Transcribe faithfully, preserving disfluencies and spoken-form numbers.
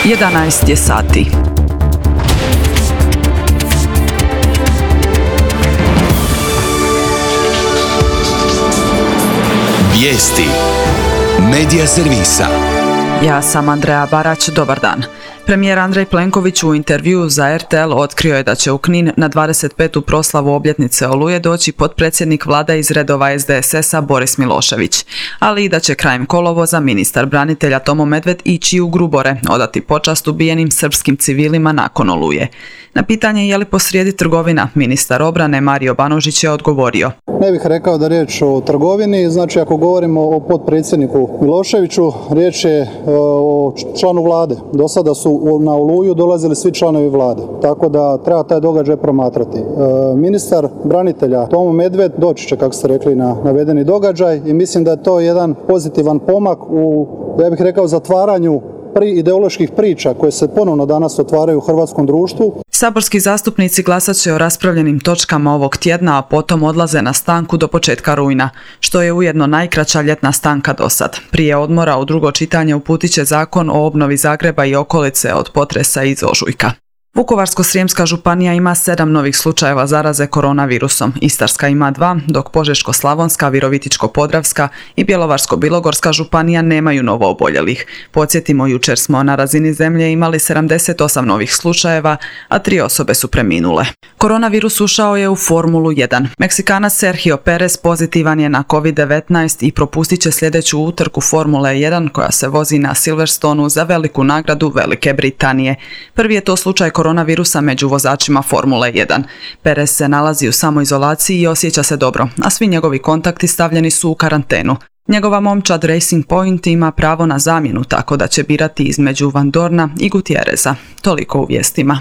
jedanaest je sati. Vijesti Medija servisa. Ja sam Andreja Barać, dobar dan. Premijer Andrej Plenković u intervjuu za er te el otkrio je da će u Knin na dvadeset petu proslavu obljetnice Oluje doći potpredsjednik vlade iz redova es de es es-a Boris Milošević, ali i da će krajem kolovoza ministar branitelja Tomo Medved ići u Grubore, odati počast ubijenim srpskim civilima nakon Oluje. Na pitanje je li posrijedi trgovina, ministar obrane Mario Banožić je odgovorio: Ne bih rekao da riječ o trgovini, znači ako govorimo o potpredsjedniku Miloševiću, riječ je o članu vlade. Do sada su na Oluju dolazili svi članovi vlade, tako da treba taj događaj promatrati. Ministar branitelja Tomo Medved doći će, kako ste rekli, na navedeni događaj i mislim da je to jedan pozitivan pomak u, ja bih rekao, zatvaranju pri ideoloških priča koje se ponovno danas otvaraju u hrvatskom društvu. Saborski zastupnici glasat će o raspravljenim točkama ovog tjedna, a potom odlaze na stanku do početka rujna, što je ujedno najkraća ljetna stanka do sad. Prije odmora u drugo čitanje uputit će Zakon o obnovi Zagreba i okolice od potresa iz ožujka. Vukovarsko-srijemska županija ima sedam novih slučajeva zaraze koronavirusom, Istarska ima dva, dok Požeško-slavonska, Virovitičko-podravska i Bjelovarsko-bilogorska županija nemaju novo oboljelih. Podsjetimo, jučer smo na razini zemlje imali sedamdeset osam novih slučajeva, a tri osobe su preminule. Koronavirus ušao je u Formulu jedan. Meksikanac Sergio Perez pozitivan je na kovid devetnaest i propustit će sljedeću utrku Formule jedan koja se vozi na Silverstonu za veliku nagradu Velike Britanije. Prvi je to slučaj koronavirusa među vozačima Formule jedan. Perez se nalazi u samoizolaciji i osjeća se dobro, a svi njegovi kontakti stavljeni su u karantenu. Njegova momčad Racing Point ima pravo na zamjenu, tako da će birati između Van Dorna i Gutierreza. Toliko u vijestima.